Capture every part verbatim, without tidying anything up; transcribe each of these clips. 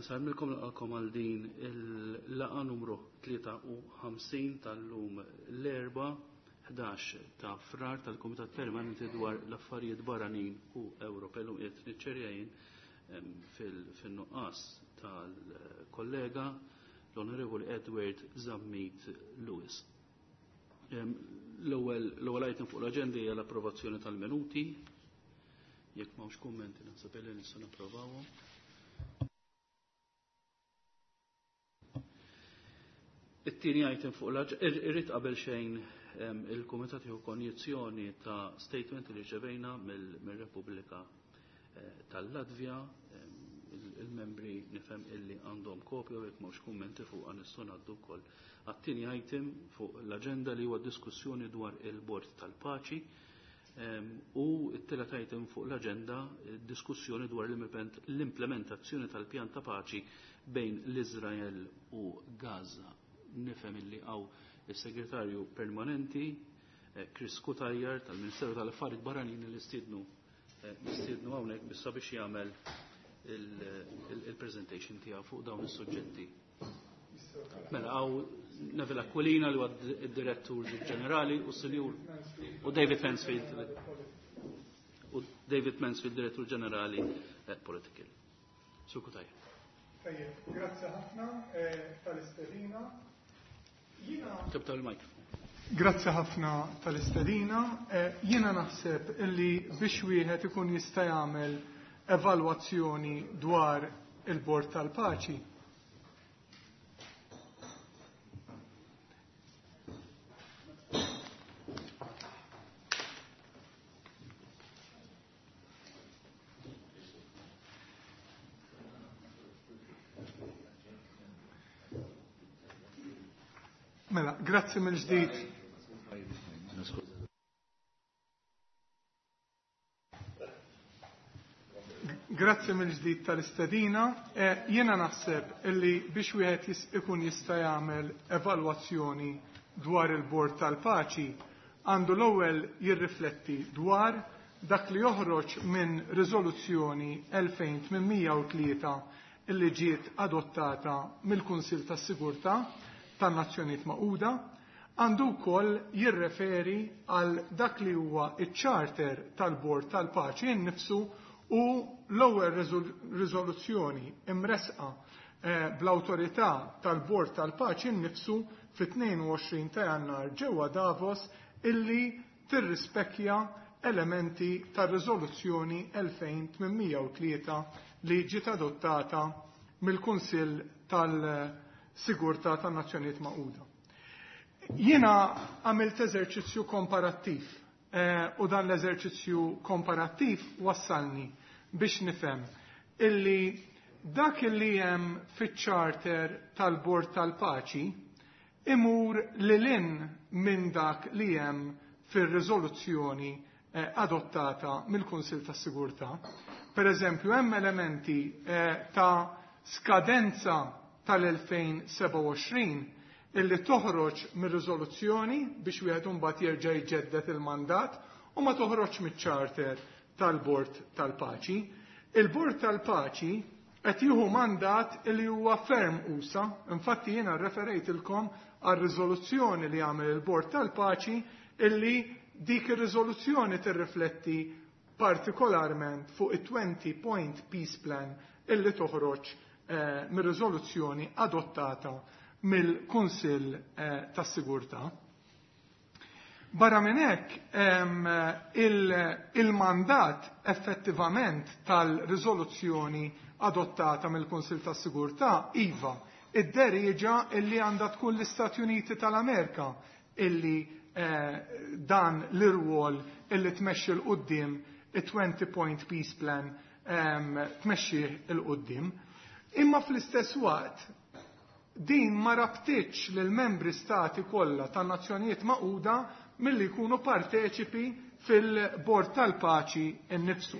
Nsellmilkom, nilqagħkom għal din il-laqgħa numru tlieta u ħamsin tal-lum, l-Erbgħa ħdax ta' Frar, tal-Kumitat Permanenti dwar l-Affarijiet Barranin u Ewropej. Illum qiegħed niċċerja jien fil-nuqqas tal-kollega l-Onorevoli Edward Zammit Lewis. L-ewwel item fuq l-aġenda hija l-approvazzjoni tal-minuti. Jekk m'hawnx kummenti, naħseb li nistgħu napprovawhom. It-tieni item fuq l-aġenda, irrid qabel xejn il-Kumitat jieħu konjizzjoni ta' statement li rċevejna mill-Repubblika eh, tal-Latvja. Il-membri nifhem illi għandhom kopja u jekk m'hawnx kummenti fuq nistgħu ngħaddu wkoll għat-tieni item fuq l-aġenda, li huwa diskussjoni dwar il-Bord tal-Paċi, u t-tielet item fuq l-aġenda, diskussjoni dwar l-implementazzjoni tal-pjan ta' paċi bejn l-Izrael u Gaza. Nifhem illi hawn il-Segretarju Permanenti eh, Chris Cutajar tal-Ministeru tal-Affarijiet Barranin, li stidnu eh, nistiednu hawnhekk bissa biex jagħmel il-presentation tiegħu fuq dawn is-suġġetti. Mela hawn Neville Aquilina, li huwa id-Direttur Ġenerali, u Sinjur u David Mansfield u David Mansfield, Direttur Ġenerali eh, Political. Sur Cutajar. Tajjeb, grazzi ħafna tal-istedina. Tibta il-mikrofon. Grazzi ħafna tal-istedina. Eh, jiena naħseb illi biex wieħed ikun jista' jagħmel evalwazzjoni dwar il-Bord tal-Paċi, Mela, grazzi mill-ġdid. Grazzi mill-ġdid tal-istedina. Eh, jiena naħseb illi biex wieħed ikun jista' jagħmel evalwazzjoni dwar il-Bord tal-Paċi, għandu l-ewwel jirrifletti dwar dak li joħroġ minn riżoluzzjoni elfejn tmienmija u tlieta illi ġiet adottata mill-Kunsill tas-Sigurtà tan-Nazzjonijiet Magħquda, għandu wkoll jirreferi għal dak li huwa iċ-charter tal-Bord tal-Paċi innifsu u l-ewwel riżoluzzjoni imresqa eh, bl-awtorità tal-Bord tal-Paċi innifsu fit-tnejn u għoxrin ta' Jannar ġewwa Davos, illi tirrispekkja elementi tar-riżoluzzjoni elfejn tmienmija u tlieta li ġiet adottata mill-Kunsill tal-Sigurtà tan-Nazzjonijiet Magħquda. Jiena għamilt eżerċizzju komparattiv eh, u dan l-eżerċizzju komparattiv wassalni biex nifhem illi dak illi hemm fiċ-charter tal-Bord tal-Paċi imur lil hinn minn dak li hemm fir-riżoluzzjoni eh, adottata mill-Kunsill tas-Sigurtà. Per eżempju, hemm elementi eh, ta' skadenza tal-elfejn sebgħa u għoxrin illi toħroġ mir-riżoluzzjoni biex wieħed imbagħad jerġa' jġedded il-mandat u ma toħroġ miċ-charter tal-Bord tal-Paċi. Il-Bord tal-Paċi qed jieħu mandat li huwa ferm usa', infatti jiena referejtilkom għar-riżoluzzjoni li għamel il-Bord tal-Paċi, illi dik ir-riżoluzzjoni tirrifletti partikolarment fuq it-twenty point peace plan illi toħroġ eh, mir-riżoluzzjoni adottata mill-Kunsill eh, tas-Sigurtà. Barra minn hekk, il-mandat effettivament tal-riżoluzzjoni adottata mill-Kunsill tas-Sigurtà, iva, idderieġa illi għandha tkun l-Istati Uniti tal-Amerika illi eh, dan l-irwol illi tmexxi 'l quddiem it-twenty point peace plan, tmexxi 'l quddiem. Imma fl-istess waqt din ma rabtitx lil membri stati kollha tan-Nazzjonijiet Magħquda milli jkunu parteċipi fil-Bord tal-Paċi innifsu.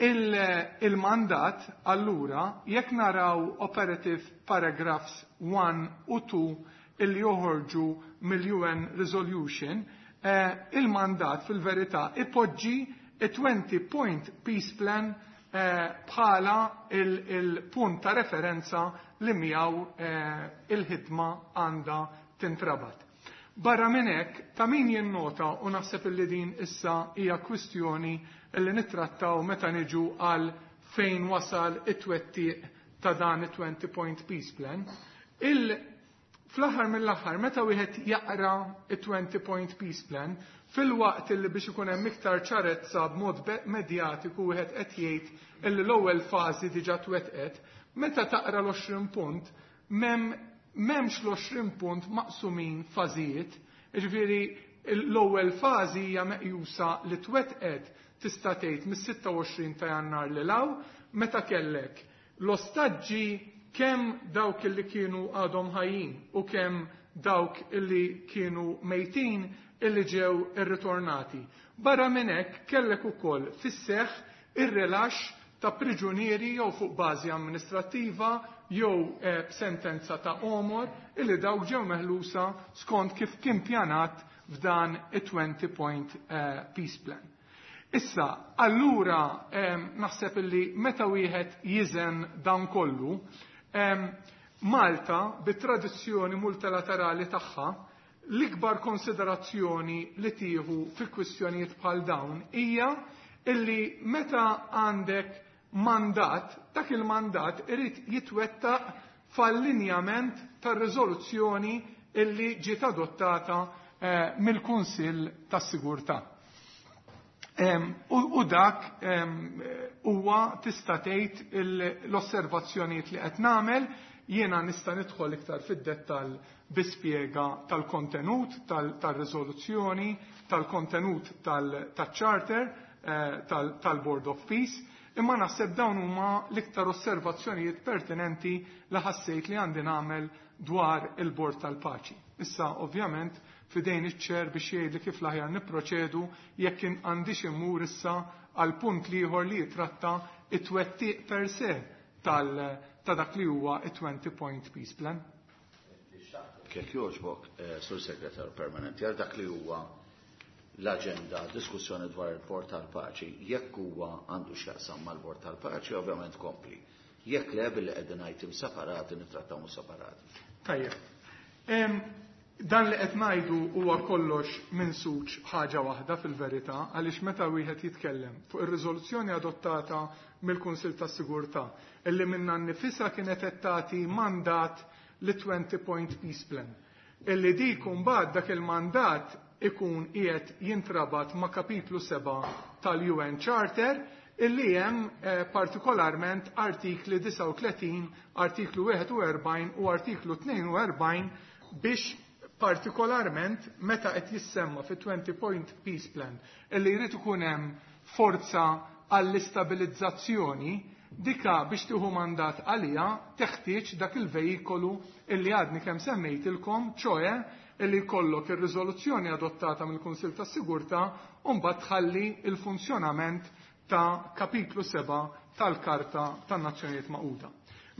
Il-mandat, allura, jekk naraw operative paragraphs wieħed u tnejn illi joħorġu mill-U N Resolution, eh, il-mandat fil-verità ipoġġi a twenty point peace plan bħala il-punt ta' referenza li miegħu il-ħidma għandha tintrabat. Barra minn hekk, ta' min jinnota, u naħseb illi din issa hija kwistjoni illi nittrattaw meta niġu għal fejn wasal it-twettiq ta' dan it-twenty point peace plan. Il fl-aħħar mill-aħħar, meta wieħed jaqra it-twenty point peace plan, fil-waqt illi biex ikun hemm iktar ċarezza b'mod medjatiku wieħed qed jgħid illi l-ewwel fażi diġà twettqet, meta taqra l-għoxrin punt, m'hemm m'hemmx l-għoxrin punt maqsumin fażijiet, jiġifieri l-ewwel fażi hija meqjusa li twettqet tista' tgħid mis-sitta u għoxrin ta' Jannar lil hawn, meta kellek l-ostaġġi kemm dawk illi kienu għadhom ħajjin u kemm dawk illi kienu mejtin illi ġew irritornati. Barra minn hekk kellek ukoll fis-seħħ ir-rilaxx ta' priġunieri jew fuq bażi amministrattiva jew b'sentenza ta' omor illi dawk ġew meħlusa skont kif kien pjanat f'dan it-twenty point peace plan. Issa, allura naħseb illi meta wieħed jiżen dan kollu, Malta bit-tradizzjoni multilaterali tagħha l-ikbar konsiderazzjoni li tieħu fi kwistjonijiet bħal dawn hija illi meta għandek mandat, dak il-mandat irid jitwettaq f'allinjament tar-riżoluzzjoni illi ġiet adottata mill-Kunsill tas-Sigurtà. U dak huwa tista' tgħid l-osservazzjonijiet li qed nagħmel, jiena nista' nidħol iktar fid-dettall bi spjega tal-kontenut tal-riżoluzzjoni, tal-kontenut tal-charter, tal-Board of Peace, imma naħseb dawn huma l-iktar osservazzjonijiet pertinenti li ħassejt li għandi nagħmel dwar il-Bord tal-Paċi. Issa, ovvjament, fidejn iċ-ċer biex jgħidli kif l-aħjar nipproċedu jekk għandix immur issa għal punt ieħor li jitratta it-twettiq per se ta' dak li huwa it-twenty point peace plan. Kek jogħġbok, Sur Segretar Permanenti, għal dak li huwa l-aġenda, diskussjoni dwar il-Bord tal-Paċi, jekk huwa għandu x'jaqsam mal-Bord tal-Paċi, ovvjament kompli. Jekk le, billi qegħdin item separati, nittrattawhom separati. Tajjeb. Dan li qed ngħidu huwa kollox minn suċ ħaġa waħda fil-verità, għaliex meta wieħed jitkellem fuq ir-riżoluzzjoni adottata mill-Kunsill tas-Sigurtà illi minna nnifisha kienet qed tagħti mandat li twenty point peace plan. Illi dik imbagħad dak il-mandat ikun qiegħed jintrabat ma' kapitlu seba' tal-U N Charter illi hemm partikolarment artikli disgħa u tletin, artiklu wieħed u erbgħin u artiklu tnejn u erbgħin biex partikolarment meta qed jissemma fi twenty point peace plan illi jrid ikun hemm forza għall-istabilizzazzjoni, dika biex tieħu mandat għalija teħtieġ dak il-vejikolu illi għadni kemm semmejtilkom, ċoe illi jkollok ir-riżoluzzjoni adottata mill-Kunsill tas-Sigurtà u mbagħad tħalli il-funzjonament ta' kapitlu seba' tal-Karta tan-Nazzjonijiet Magħquda.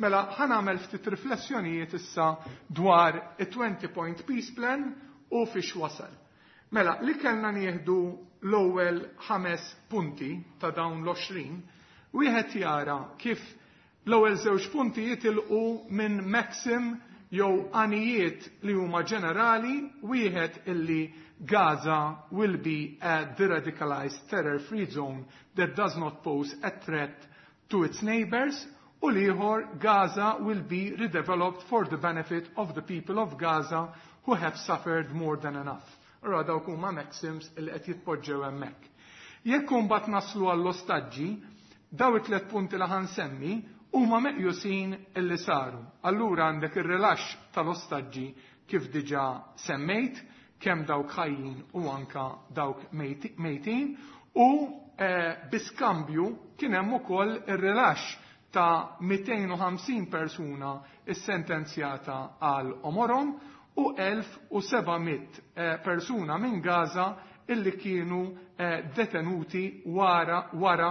Mela, ħa nagħmel ftit riflessjonijiet issa dwar it-twenty point peace plan u fiex wasal. Mela, li kellna nieħdu l-ewwel ħames punti ta' dawn l-għoxrin, wieħed jara kif l-ewwel żewġ punti jitilqu minn maxim jew għanijiet li huma ġenerali, wieħed illi Gaza will be a deradicalized terror-free zone that does not pose a threat to its neighbors, u l-ieħor Gaza will be redeveloped for the benefit of the people of Gaza who have suffered more than enough. Allora dawk huma maxims li qed jitpoġġew hemmhekk. Jekk imbagħad naslu għall-ostaġġi, daw it-tliet punti li ħansemmi huma meqjusin illi saru. Allura għandek ir-rilaxx tal-ostaġġi kif diġà semmejt, kemm dawk ħajjin u anka dawk mejtin, u biskambju kien hemm ukoll ir-rilaxx ta' mitejn u ħamsin persuna issentenzjata għal omorom u elf u seba' mitt persuna minn Gaza illi kienu detenuti wara, wara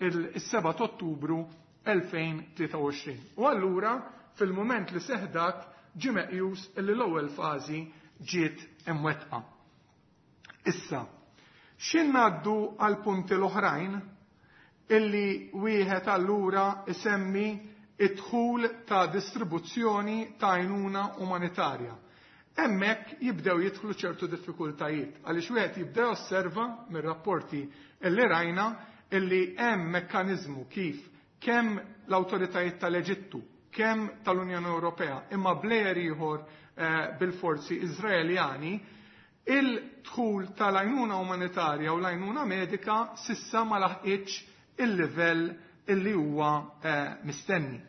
il-seba' ta' Ottubru elfejn tlieta u għoxrin. U allura fil-mument li seħdak ġie meqjus illi l-ewwel fażi ġiet imwettqa. Issa, x'in ngħaddu għal punti l-oħrajn, illi wieħed allura isemmi id-dħul ta' distribuzzjoni ta' għajnuna umanitarja. Hemmhekk jibdew jidħlu ċertu diffikultajiet għaliex wieħed jibdew osserva mir-rapporti illi rajna illi hemm mekkaniżmu kif kemm l-awtoritajiet tal-Eġittu, kemm tal-Unjoni Ewropea, imma plejer ieħor eh, bil-forzi Iżraeljani, il-dħul tal-għajnuna umanitarja u l-għajnuna medika sissa ma laħqitx il-livell illi huwa eh, mistenni.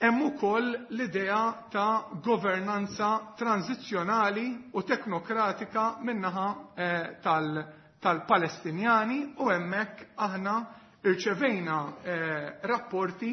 Hemm ukoll l-idea ta' governanza tranzizzjonali u teknokratika min-naħa eh, tal-Palestinjani u hemmhekk aħna irċevejna eh, rapporti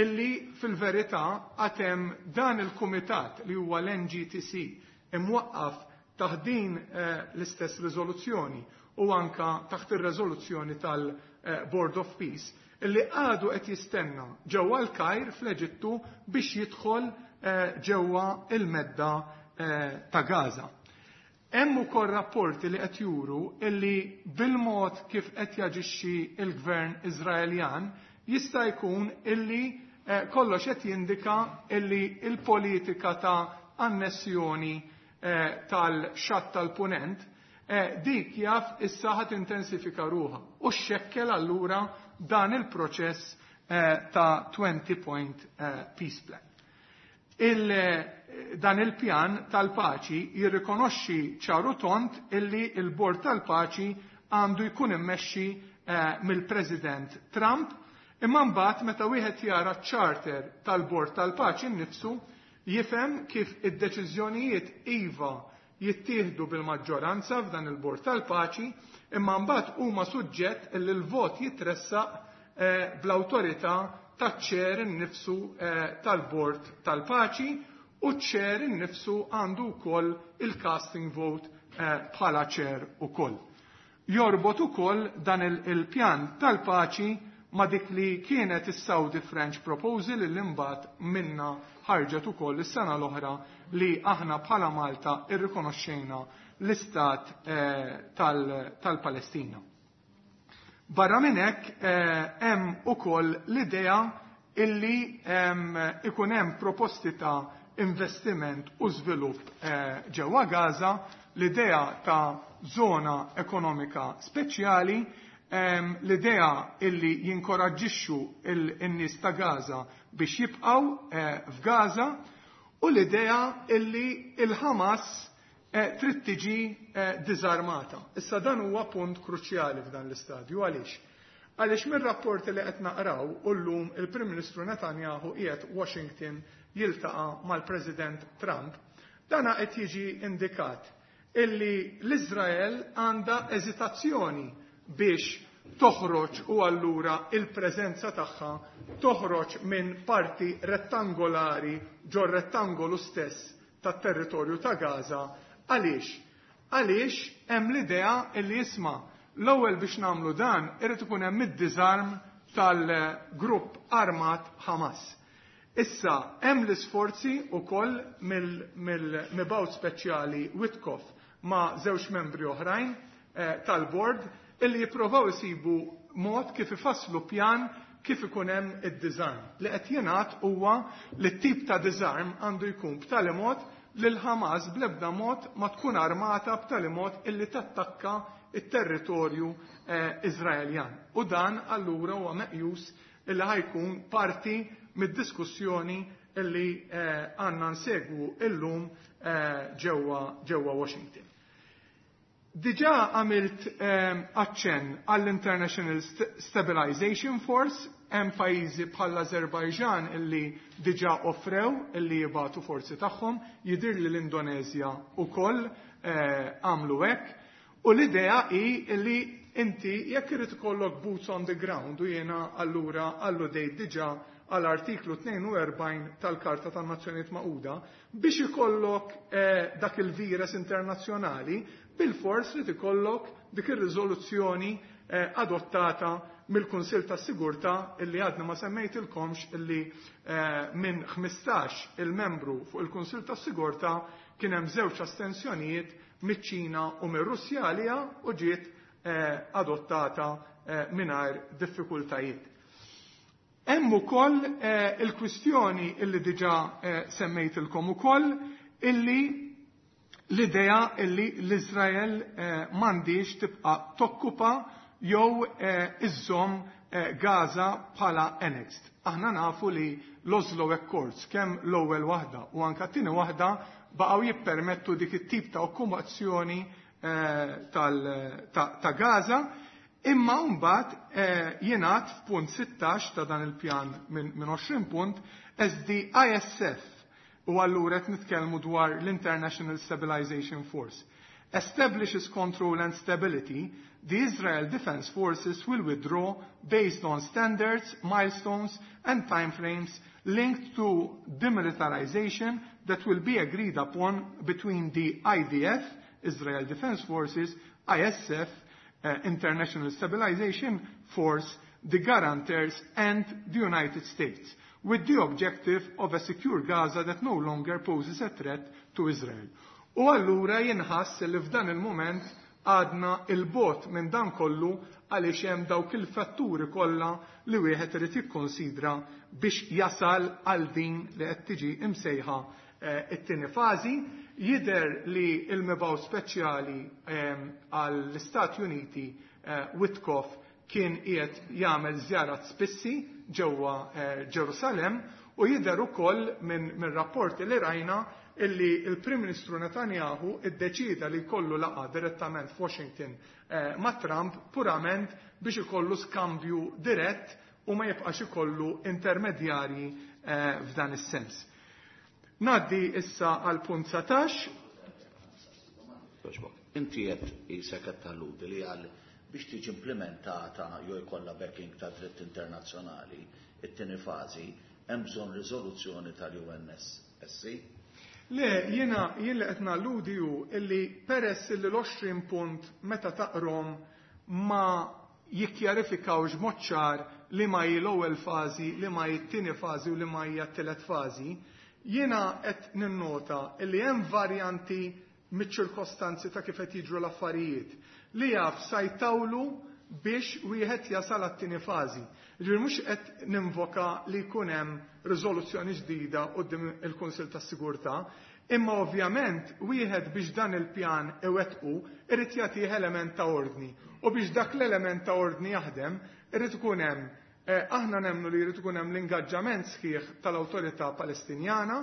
illi fil-verità għatem dan il-kumitat li huwa l-N G T C imwaqqaf taħt din eh, l-istess riżoluzzjoni u anka taħt ir-riżoluzzjoni tal-Board of Peace illi għadu qed jistenna ġewwa l-Kajr fl-Eġittu biex jidħol eh, ġewwa il-medda eh, ta' Gaza. Hemm ukoll rapporti li qed juru illi bil-mod kif qed jaġixxi il-gvern Iżraeljan jista' jkun illi eh, kollox qed jindika illi il-politika ta' annessjoni tal-xatt tal-punent dik jaf issa ħat intensifika ruħha u xekkel allura dan il-proċess eh, ta' twenty point eh, peace plan. Il, dan il-pjan tal-paċi jirrikonoxxi ċaru tond illi il-Bord tal-Paċi għandu jkun immexxi eh, mill-President Trump, imma mbagħad meta wieħed jara ċ-charter tal-Bord tal-Paċi nnifsu jifhem kif id-deċiżjonijiet iva jittieħdu bil-maġġoranza f'dan il-Bord tal-Paċi, imma mbagħad huma suġġett li l-vot jitressaq eh, bl-awtorità taċ-chair innifsu eh, tal-Bord tal-Paċi u ċ-chair innifsu għandu wkoll il-casting vote eh, bħala chair ukoll. Jorbot ukoll dan il-pjan tal-paċi ma dik li kienet is-Saudi French Proposal li mbagħad minna ħarġet ukoll is-sena l-oħra li aħna bħala Malta irrikonoxxejna l-istat eh, tal-Palestina. Barra minn hekk eh, hemm ukoll l-idea illi ikun hemm proposti ta' investiment u żvilupp eh, ġewwa Gaza, l-idea ta' zona ekonomika speċjali, l-idea illi jinkoraġġixxu il-nies ta' Gaza biex jibqgħu f'Gaza u l-idea illi il-Hamas eh, trid tiġi eh, diżarmata. Issa dan huwa punt kruċjali f'dan l-istadju. Għaliex? Għaliex mir-rapporti li qed naqraw u llum il-Prim Ministru Netanyahu qiegħed Washington jiltaqa' mal-President Trump, dana qed jiġi indikat illi l-Iżrael għandha eżitazzjoni biex toħroġ u allura il-preżenza tagħha toħroġ minn parti rettangolari ġo rettangolu stess tat-territorju ta' Gaza. Għaliex? Għaliex hemm l-idea illi jisma' l-ewwel biex nagħmlu dan irid ikun hemm id-disarm tal-grupp armat Hamas. Issa hemm l-isforzi wkoll mill-mibgħut speċjali Witkoff ma' żewġ membri oħrajn eh, tal-bord illi jipprovaw isibu mod kif ifasslu pjan kif ikun hemm id-disarm. Li qed jingħad huwa li t-tip ta' disarm għandu jkun b'tali mod li l-Hamas bl-ebda mod ma tkun armata b'tali mod illi tattakka it-territorju eh, Iżraeljan. U dan allura huwa meqjus illi ħa jkun parti mid-diskussjoni illi eh, għandna nsegwu illum eh, ġewwa ġewwa Washington. Diġà għamilt aċċenn għall-International Stabilization Force, hemm pajjiżi bħal Azerbajġan illi diġà offrew illi jibagħtu forzi tagħhom, jidir li l-Indonezja ukoll għamlu hekk. U l-idea hi illi inti jekk irid ikollok boots on the ground u jiena allura alludejt diġà għall-artiklu tnejn u erbgħin tal-Karta tan-Nazzjonijiet Magħquda biex ikollok eh, dak il-virus internazzjonali bil-fors li ikollok dik ir-riżoluzzjoni eh, adottata mill-Kunsill tas-Sigurtà illi għadna ma semmejtilkomx illi eh, minn ħmistax il-membru fuq il-Kunsill tas-Sigurtà kien hemm żewġ astensjonijiet miċ-Ċina u mir-Russja għalija u ġiet adottata mingħajr diffikultajiet. Hemm ukoll il-kwistjoni illi diġà semmejtilkom ukoll, illi l-idea illi l-Iżrael m'għandix tibqa' tokkupa jew iżżomm Gaza bħala annexed. Aħna nafu li l-Oslo Accords, kemm l-ewwel waħda u anke t-tieni waħda, baqgħu jippermettu dik it-tip ta' okkupazzjoni ta' Gaza, imma mbagħad jingħad f'punt sittax ta' dan il-pjan minn għoxrin punt as the I S F, u allura qed nitkellmu dwar l-International Stabilization Force, establishes control and stability, the Israel Defense Forces will withdraw based on standards, milestones and timeframes linked to demilitarization that will be agreed upon between the I D F, Israel Defense Forces, I S F, uh, International Stabilization Force, the guarantors and the United States, with the objective of a secure Gaza that no longer poses a threat to Israel. U allura jinħass li f'dan il-moment għadna il-bot minn dan kollu għaliex hemm dawk il-fatturi kollha li wieħed irid jikkonsidra biex jasal għal din li qed tiġi imsejħa it-tieni fażi. Jidher li l-mibgħu speċjali għall-Istati Uniti Witkoff kien qiegħed jagħmel żjarat spissi ġewwa Ġerusalem, u jidher ukoll minn min rapporti li rajna illi il-Prim Ministru Netanyahu iddeċida li jkollu laqgħa direttament f'Washington eh, ma' Trump purament biex ikollu skambju dirett u ma jibqax ikollu intermedjarji eh, f'dan is-sens. Ngħaddi issa għal punt satax. Inti qed isek qed talludi li għal biex tiġi implementata jew jkollha backing ta' dritt internazzjonali, it-tieni fażi hemm bżonn riżoluzzjoni tal-U N S C? Le, jiena jien li qed nalludi hu illi peress illi l-għoxrin punt meta taqrom ma jikkjarifikawx b'mod ċar li ma hi l-ewwel fażi, li ma hi t-tieni fażi u li ma hija t-tielet fażi, jiena qed ninnota illi hemm varjanti miċ-ċirkostanzi ta' kif qed jiġru l-affarijiet li jaf sa jtawlu biex wieħed jasal għat-tieni fażi. Ġifieri mhux qed ninvoka li jkun hemm riżoluzzjoni ġdida quddiem il-Kunsill tas-Sigurtà, imma ovvjament wieħed biex dan il-pjan iwettqu irid jagħtih element ta' ordni. U biex dak l-element ta' ordni jaħdem irid ikun hemm, eh, aħna nemmnu li jrid ikun hemm l-ingaġġament sħiħ tal-Awtorità Palestinjana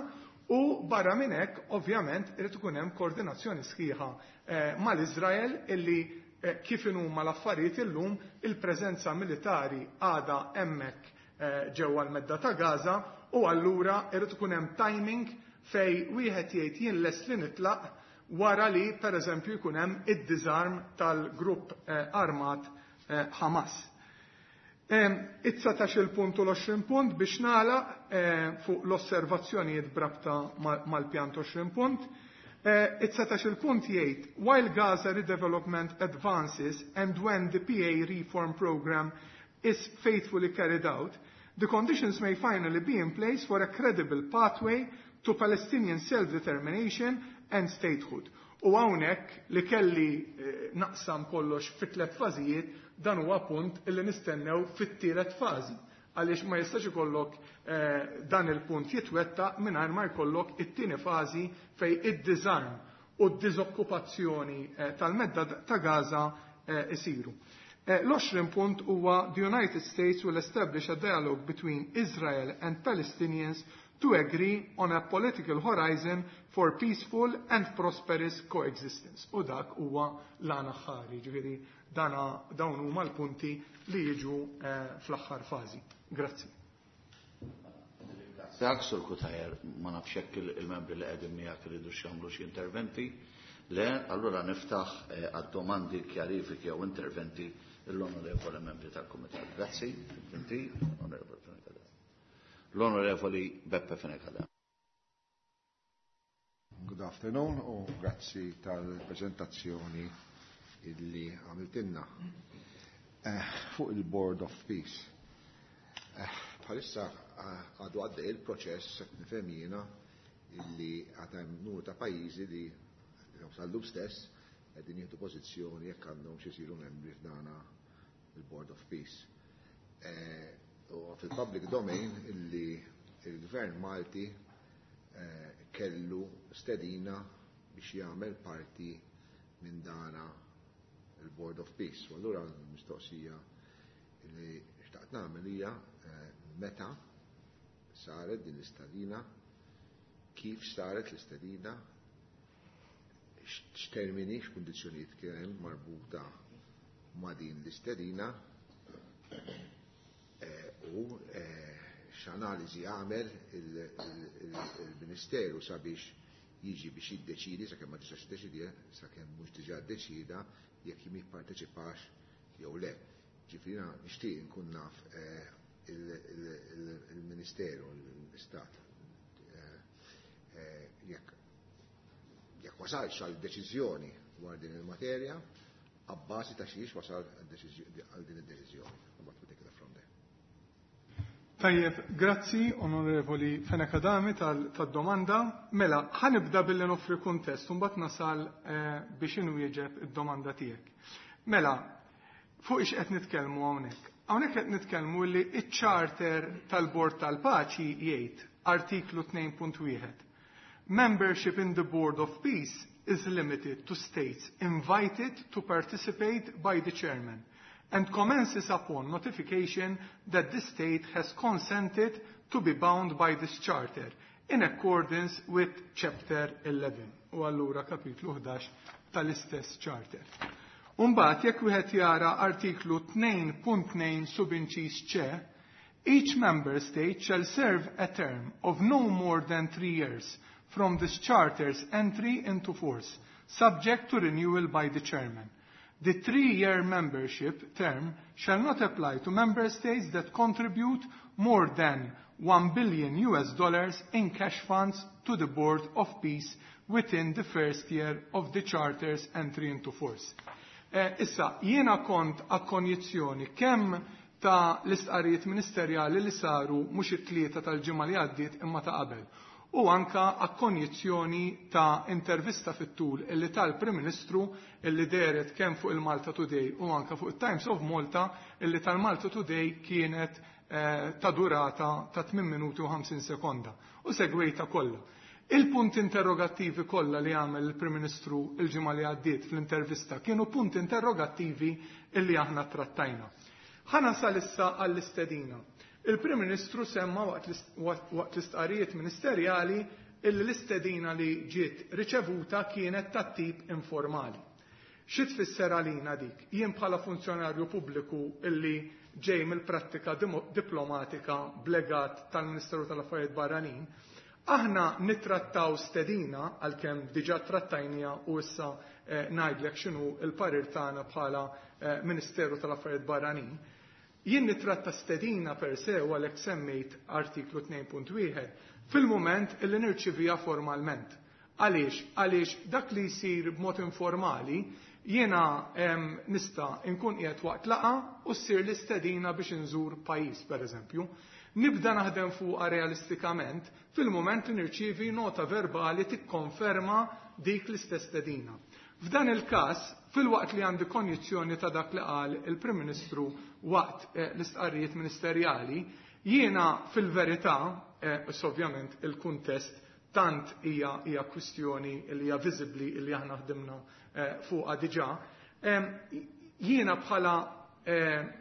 u barra minn hekk ovvjament irid ikun hemm koordinazzjoni sħiħa, eh, mal-Iżrael illi, eh, kif inhuma l-affarijiet illum il-preżenza militari għadha hemmhekk, eh, ġewwa l-medda ta' Gaza, u allura irid ikun hemm timing fej wieħed jgħid jien lest li nitlaq wara li pereżempju jkun hemm id-disarm tal-grupp, eh, armat, eh, Hamas. It-dsatax il-punt u l-għoxrin punt biex nagħlaq, eh, fuq l-osservazzjonijiet brabta mal-pjan għoxrin punt. Eh, it-dsatax il-punt jgħid, while Gaza redevelopment advances and when the P A reform program is faithfully carried out, the conditions may finally be in place for a credible pathway to Palestinian self-determination and statehood. U hawnhekk li kelli, eh, naqsam kollox fi tliet fażijiet, dan huwa punt illi nistennew fit-tielet fażi, għaliex ma jistax ikollok, eh, dan il-punt jitwettaq mingħajr ma jkollok it-tieni fażi fej id-disarm u d-diżokkupazzjoni, eh, tal-medda ta' Gaza, eh, isiru. Eh, l-għoxrin punt huwa the United States will establish a dialogue between Israel and Palestinians to agree on a political horizon for peaceful and prosperous coexistence. U dak huwa l-għana ħari, ġifieri dana, dawn huma l-punti li jiġu, eh, fl-aħħar fażi. Grazzi. Dak Sur Cutajar, ma nafx hekk il-, il-membri li qegħdin miegħek iridu x'jagħmlu xi interventi. Le, allura niftaħ, eh, għad-domandi, kjarifiki jew interventi l-onorevoli membri tal-Kumitat. Grazzi, inti, onorevoli Fenech Adami. L-onorevoli Beppe Fenech Adami. Good afternoon u grazzi tal-prezentazzjoni illi għamiltinna. Eh, fuq il-Board of Peace. Eh, bħalissa, eh, għadu għaddej il-proċess, nifhem jiena, illi għad hemm numru ta' pajjiżi li sal-lum stess, qegħdin jieħdu pożizzjoni jekk għandhom xi jsiru membri f'dana il-Board of Peace. Eh, u fil-public domain illi il-Gvern Malti eh, kellu stedina biex jagħmel parti minn dana il-Board of Peace. U allura l-mistoqsija li xtaqt nagħmel hija eh, meta saret din l-istedina, kif saret l-istedina, x'termini, x'kundizzjonijiet kien hemm marbuta ma' din l-istedina eh, u eh, x'analiżi għamel il-Ministeru sabiex jiġi biex jiddeċidi, sakemm ma tistax tiddeċidi, sakemm mhux diġà ddeċida jekk jipparteċipax jew le. Ġifieri nixtieq nkun naf eh, il-Ministeru, l-Istat, jekk jekk wasalx għal deċiżjoni dwar din il-materja, abbażi ta' xiex wasal għal din id-deċiżjoni. Mbagħad we take it from there. Tajjeb, grazzi Onorevoli Fenech Adami tad-domanda. Mela, ħa nibda billi noffri kuntest, u mbagħad nasal eh, biex inwieġeb id-domanda tiegħek. Mela, fuq ix qed nitkellmu hawnhekk. Hawnhekk qed nitkellmu li iċ-charter tal-Bord tal-Paċi jgħid artiklu tnejn punt wieħed: "Membership in the Board of Peace is limited to states invited to participate by the chairman and commences upon notification that the state has consented to be bound by this charter in accordance with Chapter eleven" u allura kapitlu ħdax tal-istess charter. Umbagħad jekk wieħed jara artiklu tnejn punt tnejn subinċis C, "Each member state shall serve a term of no more than three years from this charter's entry into force, subject to renewal by the chairman. The three-year membership term shall not apply to member states that contribute more than one billion U S dollars in cash funds to the Board of Peace within the first year of the charter's entry into force." Eh, issa, jiena kont akkonjizzjoni kemm ta' l-istqarijiet ministerjali li saru mhux it-Tlieta tal-ġimgħa li għaddiet imma ta' qabel u anka akkonjizzjoni ta' intervista fit-tul illi tal-Prim Ministru illi dehret kemm fuq il-Malta Today u anka fuq il-Times of Malta, illi tal-Malta Today kienet eh, ta' durata ta' tmien minuti u ħamsin sekonda u segwejta kollha. Il-punt interrogattivi kollha li għamel il-Prim Ministru il-ġimgħa li għaddiet fl-intervista kienu punt interrogattivi illi aħna trattajna. Ħa nasal issa għall-istedina. Il-Prim Ministru semma waqt l-istqarijiet ministerjali illi l-istedina li ġiet riċevuta kienet ta' tip informali. Xi tfisser għalina dik? Jien bħala funzjonarju pubbliku illi ġej mill-prattika diplomatika b'legat tal-Ministeru tal-Affarijiet Barranin, aħna nittrattaw stedina, għalkemm diġà trattajnieha u issa eh, ngħidlek x'inhu il-parir tagħna bħala eh, Ministeru tal-Affarijiet Barranin. Jien nitratta stedina per se, u għalhekk semmejt artiklu tnejn punt wieħed, fil-moment illi nirċivija formalment. Għaliex? Għaliex dak li jsir b'mod informali, jiena nista' nkun qiegħed waqt laqgħa u ssir l-istedina biex inżur pajjiż, pereżempju. Nibda naħdem fuqha realistikament fil-moment li nirċievi nota verbali tikkonferma dik l-istess stedina. F'dan il-każ, filwaqt li għandi konjizzjoni ta' dak li qal il-Prim Ministru waqt eh, l-istqarrijiet ministerjali, jiena fil-verità, eh, ovvjament il-kuntest tant hija hija kwistjoni li hija viżibbli li aħna ħdimna eh, fuqha diġà, jiena bħala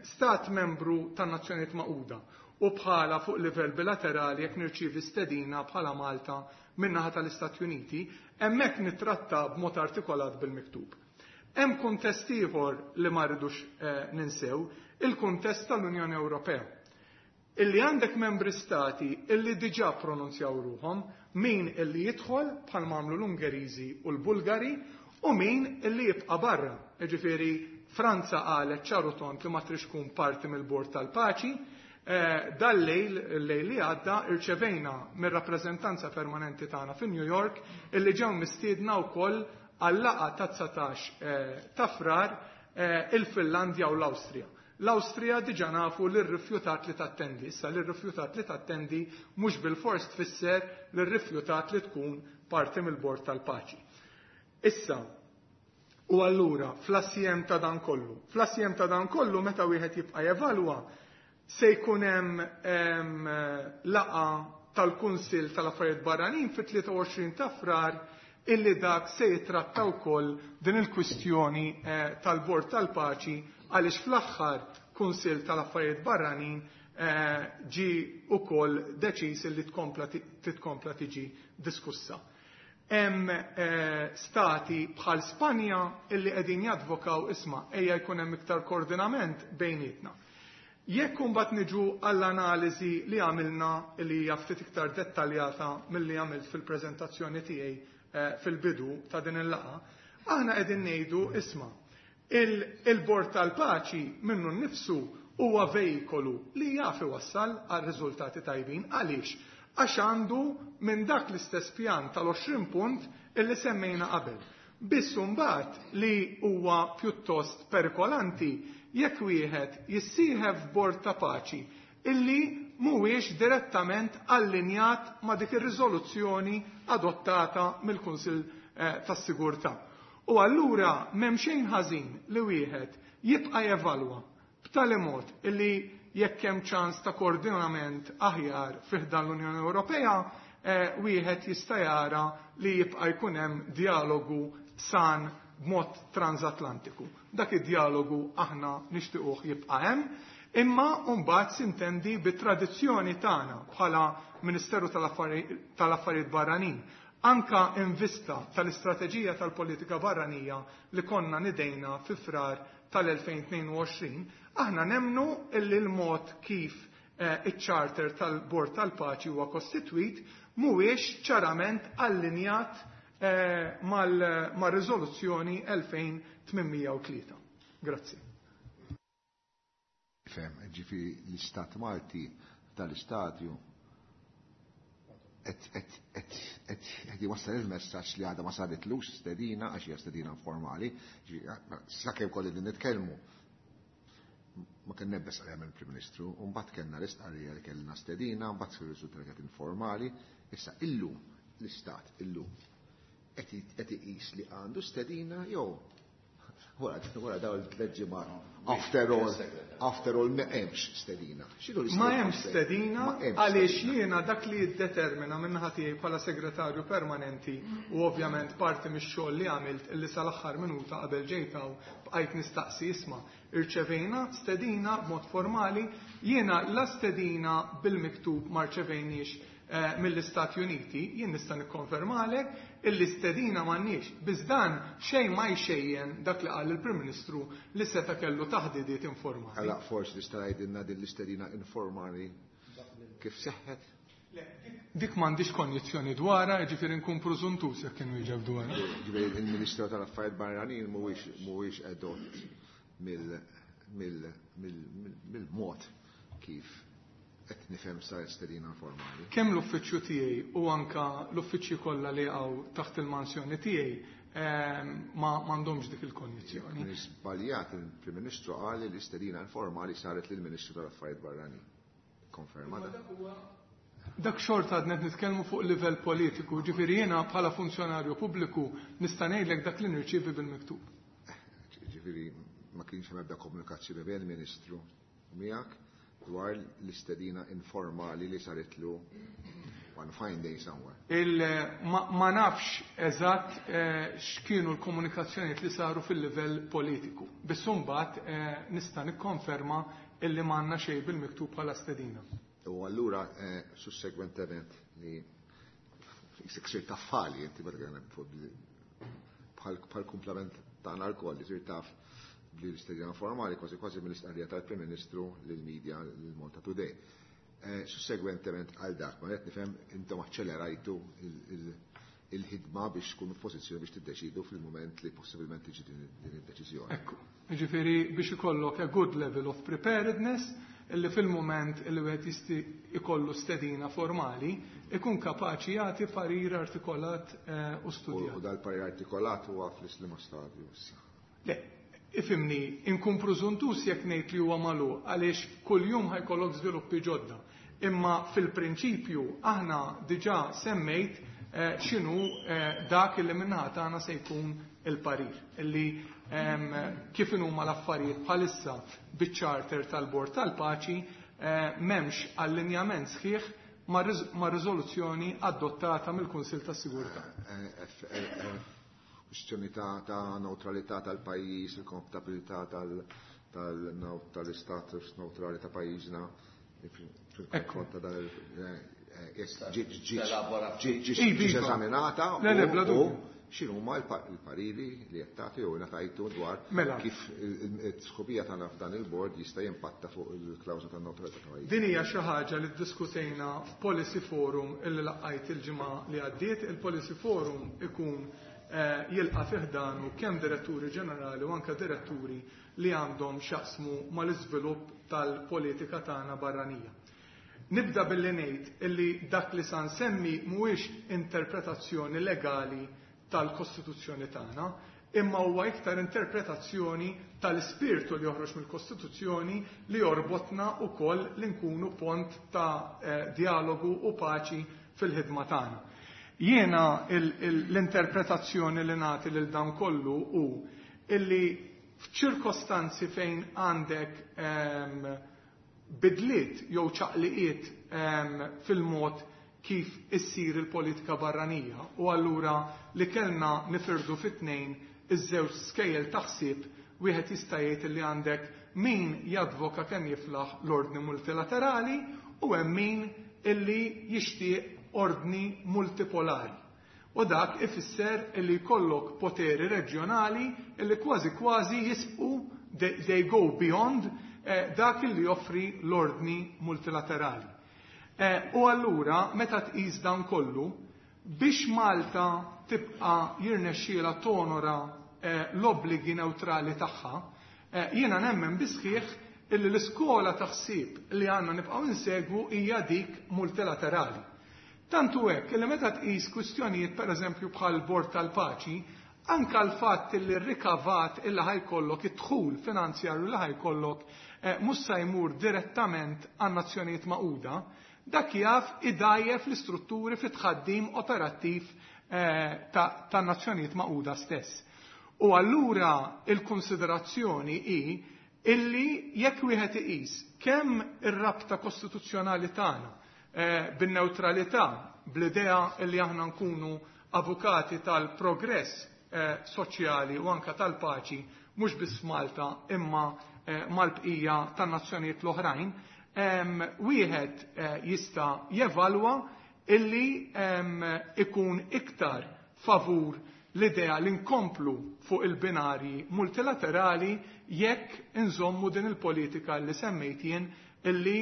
stat membru tan-Nazzjonijiet Magħquda u bħala fuq livell bilaterali, jekk nirċievi stedina bħala Malta min-naħa tal-Istati Uniti, hemmhekk nitratta b'mod artikolat bil-miktub. Hemm kuntest ieħor li ma rridux eh, ninsew, il-kuntest tal-Unjoni Ewropea. Illi għandek membri stati illi diġà pronunzjaw ruhom, min illi jidħol bħal m'għamlu l-Ungeriżi u l-Bulgari u min illi jibqa' barra. Ġifieri Franza qalet ċar u tond li ma trix tkun parti mill-Bord tal-Paċi. Eh, dal-lejl, il-lejl li għadda, irċevejna mir-rappreżentanza permanenti tagħna fi New York illi ġew mistiedna wkoll għal-laqgħa ta' dsatax eh, ta' Frar eh, il-Finlandja u l-Awstrija. L-Awstrija diġa nafu li rrifjutat li tattendi. Issa li rrifjutat li tattendi mhux bil-fors tfisser li rrifjutat li tkun parti mill-Bord tal-Paċi. Issa, U allura, fl-assjem ta' dan kollu, fl-assjem ta' dan kollu meta wieħed jibqa' jevalwa, se jkun hemm laqgħa tal-Kunsill tal-Affarijiet Barranin fit-tlieta u għoxrin ta' Frar illi dak se jitratta wkoll din il-kwistjoni tal-Bord tal-Paċi, għaliex fl-aħħar Kunsill tal-Affarijiet Barranin ġi wkoll deċiż illi titkompla tiġi diskussa. Hemm stati bħal Spanja illi qegħdin jadvokaw isma' ejja jkun hemm iktar koordinament bejnietna. Jekk imbagħad niġu għall-analiżi li għamilna li hija ftit iktar dettaljata milli għamilt fil-preżentazzjoni tiegħi fil-bidu ta' din il-laqgħa, aħna qegħdin ngħidu isma' il-Bord tal-Paċi minnu nnifsu huwa vejkolu li jaf iwassal għal riżultati tajbin. Għaliex? Għax għandu minn dak l-istess pjan tal-għoxrin punt illi semmejna qabel. Biss imbagħad li huwa pjuttost perikolanti jekk wieħed jissieħeb f'Bord ta' Paċi illi mhuwiex direttament allinjat ma' dik ir-riżoluzzjoni adottata mill-Kunsill tas-Sigurtà. U allura m'hemm xejn ħażin li wieħed jibqa' jevalwa b'tali mod illi jekk hemm ċans ta' koordinament aħjar fih dan l-Unjoni Ewropea, wieħed jista' jara li jibqa' jkun hemm dialogu san b'mod transatlantiku. Dak id-dialogu aħna nixtiequh jibqa' hemm, imma mbagħad sintendi bit-tradizzjoni tagħna bħala Ministeru tal-Affarijiet Barranin, anka in vista tal-istrateġija tal-politika barranija li konna nidejna fi Frar tal-elfejn tnejn u għoxrin, aħna nemnu illi l-mod kif iċ-charter tal-Bord tal-Paċi huwa kostitwit mhuwiex ċarament allinjat mar-riżoluzzjoni elfejn tmien u tlieta. Grazzi. Fem, ġifieri l-Istat Malti tal-istadju qed jwassal il-messaġġ li għadha ma saritlux stedina, għax hija stedina informali, sakemm kolli din nitkellmu. Ma kien nebbes għalija mill-Prim Ministru, u mbagħad kellna l-istqarrija li kellna stedina, mbagħad sir riżultat li kienet informali. Issa illum l-Istat illum qed iqis li għandu stedina jew wara wara dawn il-tliet ġimgħat. After all, after all ma hemmx stedina. X'inhu l-istedina? Ma hemmx stedina Ma hemmx għaliex stedina. jiena dak li jiddetermina minn naħa tiegħi bħala segretarju permanenti u ovvjament parti mix-xogħol li għamilt illi sal-aħħar minuta qabel ġejt hawn bqajt nistaqsi isma' irċevejna stedina b'mod formali, jiena la stedina bil-miktub ma rċevejniex mill-Istati Uniti, jien nista' nikkonfermalek illi stedina m'għandniex. Biss dan xejn ma jxejjen dak li qal il-Prim Ministru li seta' kellu taħdidiet informali. Alla forsi tista' tgħidilna din l-istedina informali kif seħħet? Le, dik m'għandix konjizzjoni dwarha, jiġifieri nkun preżuntuż jekk kienu jiġu dwarha. Ġifieri il-Ministru tal-Affarijiet Barranin mhuwiex mhuwiex edott mill-mod kif qed nifhem sar stedina informali. Kemm l-uffiċċju tiegħi u anka l-uffiċċji kollha li hawn taħt il-mansjoni tiegħi ma m'għandhomx dik il-kondizzjoni. Żbaljat il-Prim Ministru qal li l-istedina informali saret lill-Ministru tal-Affarijiet Barranin. Konferma dan? Dak xorta għadna qed nitkellmu fuq livell politiku, ġifieri jiena bħala funzjonarju pubbliku nista' ngħidlek dak li nirċievi bil-miktub. Ġifieri ma kienx hemm ebda komunikazzjoni bejn il-Ministru u miegħek dwar l-istedina informali li saritlu one fine day somewhere. Il, ma, ma nafx eżatt eh, x'kienu l-komunikazzjonijiet li saru fil-livell politiku. Biss imbagħad eh, nista' nikkonferma illi m'għandna xejn bil-miktub bħala stedina. U allura, eh, sussegwentement li sir taf fali, inti bħal bħal kumplament tagħna lkoll li sir taf li l-istedina formali kważi kważi mill-istqarrija tal-Prim Ministru lill-media lil Malta Today. Eh, sussegwentement għal dak, ma qed nifhem intom aċċelerajtu il-ħidma biex tkunu f'pożizzjoni biex tiddeċidu fil-mument li possibilment tiġi din id-deċiżjoni. Ekku, jiġifieri biex ikollok a good level of preparedness illi fil-mument illi wieħed jisti ikollu stedina formali ikun kapaċi jagħti parir artikolat, eh, u studjat. U dal-parir artikolat huwa fl-islima stadju issa. Le, ifimni, inkun preżuntus jekk ngħid li huwa magħluq għaliex kuljum ħajkollok żviluppi ġodda. Imma fil-prinċipju aħna diġà semmejt x'inhu dak li min-naħa tagħna se jkun il-parir, illi kif inhuma l-affarijiet bħalissa biċ-charter tal-Bord tal-Paċi m'hemmx allinjament sħiħ ma' riżoluzzjoni adottata mill-Kunsill tas-Sigurtà. Kwistjoni ta' neutralità tal-pajjiż, il-kompatibilità tal-istatus neutrali ta' pajjiżna fil-konfront ta' dan ġiet eżaminata u x'inhuma l-pariri li qed tagħti jew ngħatajtu dwar kif it-sħubija tagħna f'dan il-bord jista' jimpatta fuq il-klawżola tan-neutralità ta' pajjiż. Din hija xi ħaġa li ddiskutejna f'Policy Forum illi laqgħajt il-ġimgħa li għaddiet. Il-Policy Forum ikun jilqa' fih danu kemm diretturi ġenerali u anke diretturi li għandhom x'jaqsmu mal-iżvilupp tal-politika tagħna barranija. Nibda billi ngħid illi dak li sa nsemmi mhuwiex interpretazzjoni legali tal-Kostituzzjoni tagħna, imma huwa iktar interpretazzjoni tal-ispirtu li joħroġ mill-Kostituzzjoni li jorbotna wkoll li nkunu pont ta' dialogu u paċi fil-ħidma tagħna. Jiena l-interpretazzjoni li nagħti lil dan kollu hu illi f'ċirkostanzi fejn għandek bidliet jew ċaqliqiet fil-mod kif issir il-politika barranija u allura li kellna nifirdu fit-tnejn iż-żewġ skejjel taħsib, wieħed jista' jgħid li għandek min jadvoka kemm jiflaħ l-ordni multilaterali u hemm min illi jixtieq ordni multipolari. U dak ifisser illi jkollok poteri reġjonali illi kważi kważi jisbqu, they go beyond eh, dak illi joffri l-ordni multilaterali. Eh, u allura meta tqis dan kollu, biex Malta tibqa' jirnexxiela tonora eh, l-obbligi neutrali tagħha, eh, jiena nemmen bisħiħ illi l-iskola taħsib li għandna nibqgħu insegwu hija dik multilaterali. Tantu hekk li meta tqis kwistjonijiet pereżempju bħal Bord tal-Paċi, anka l-fatt li r-rikavat illi ħajkollok id-dħul finanzjarju li ħajkollok eh, mhux se jmur direttament għan-Nazzjonijiet Magħquda, dak jaf idajjef l-istrutturi fit-tħaddim operattiv eh, tan-Nazzjonijiet Magħquda stess. U allura il-konsiderazzjoni hi illi jekk wieħed iqis kemm ir-rabta kostituzzjonali tagħna eh, bin-neutralità, bl-idea illi aħna nkunu avukati tal-progress eh, soċjali u anka tal-paċi mhux biss f'Malta imma eh, mal-bqija tan-nazzjonijiet l-oħrajn, wieħed jista' jevalwa illi ikun iktar favur l-idea li nkomplu fuq il-binari multilaterali jekk inżommu din il-politika li semmejt jien illi